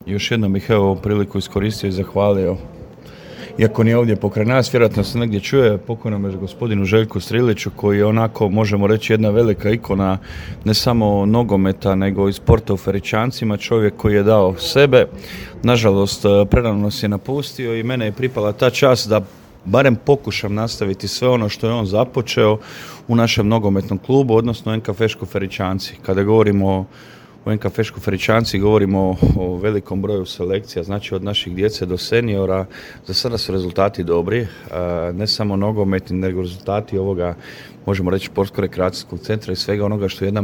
Još jednom bih ovu priliku iskoristio i zahvalio. Iako nije ovdje pokraj nas, vjerojatno se negdje čuje, pokojnom gospodinu Željku Striliću, koji je onako, možemo reći, jedna velika ikona ne samo nogometa, nego i sporta u Feričancima, čovjek koji je dao sebe. Nažalost, prerano nas je napustio i mene je pripala ta čast da barem pokušam nastaviti sve ono što je on započeo u našem nogometnom klubu, odnosno NK Feško Feričanci. Kada govorimo o NK Feško Feričanci, govorimo o velikom broju selekcija, znači od naših djece do seniora. Za sada su rezultati dobri, ne samo nogometni, nego rezultati ovoga, možemo reći, sportsko-rekreacijskog centra i svega onoga što jedna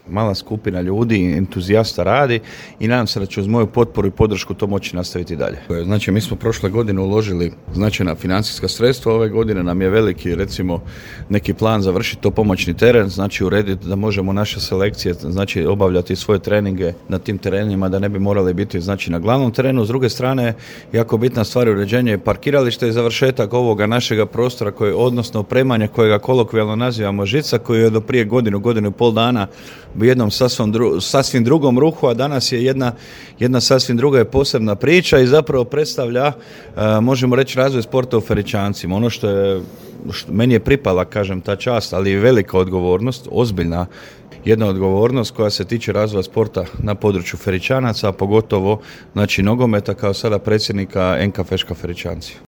mala skupina ljudi, entuzijasta radi, i nadam se da će uz moju potporu i podršku to moći nastaviti dalje. Znači, mi smo prošle godine uložili značajna financijska sredstva, ove godine nam je veliki, recimo, neki plan završiti to pomoćni teren, znači urediti da možemo naše selekcije, znači obavljati svoje treninge na tim terenima, da ne bi morali biti, znači, na glavnom terenu. S druge strane, jako bitna stvar je uređenje parkirališta i završetak ovoga našega prostora, odnosno opremanja kojega kolokvijalno nazivamo žica, koji je do prije godinu i pol dana u jednom sasvim drugom ruhu, a danas je jedna sasvim druga i posebna priča i zapravo predstavlja, možemo reći, razvoj sporta u Feričancima. Ono što meni je pripala, kažem, ta čast, ali i velika odgovornost, ozbiljna jedna odgovornost koja se tiče razvoja sporta na području Feričanaca, a pogotovo, znači, nogometa, kao sada predsjednika NK Feška Feričanci.